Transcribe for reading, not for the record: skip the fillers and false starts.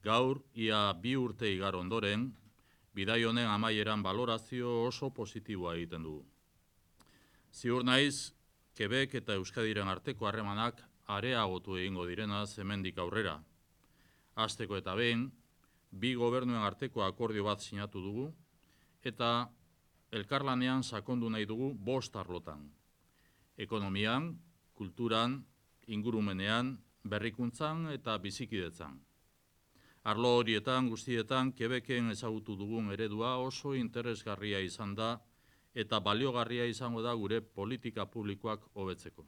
Gaur, ia 2 urte igaro ondoren, bidai honen amaieran balorazio oso positiboa egiten dugu. Ziur naiz, Quebec eta Euskadiren arteko harremanak areagotu egingo direnaz hemendik aurrera. Hasteko eta behin, 2 gobernuen arteko akordio bat sinatu dugu, eta elkarlanean sakondu nahi dugu 5 arlotan. Ekonomian, kulturan, ingurumenean, berrikuntzan eta bizikidetzan. Arlo horietan guztietan Quebecen ezagutu dugun eredua oso interesgarria izan da eta baliogarria izango da gure politika publikoak hobetzeko.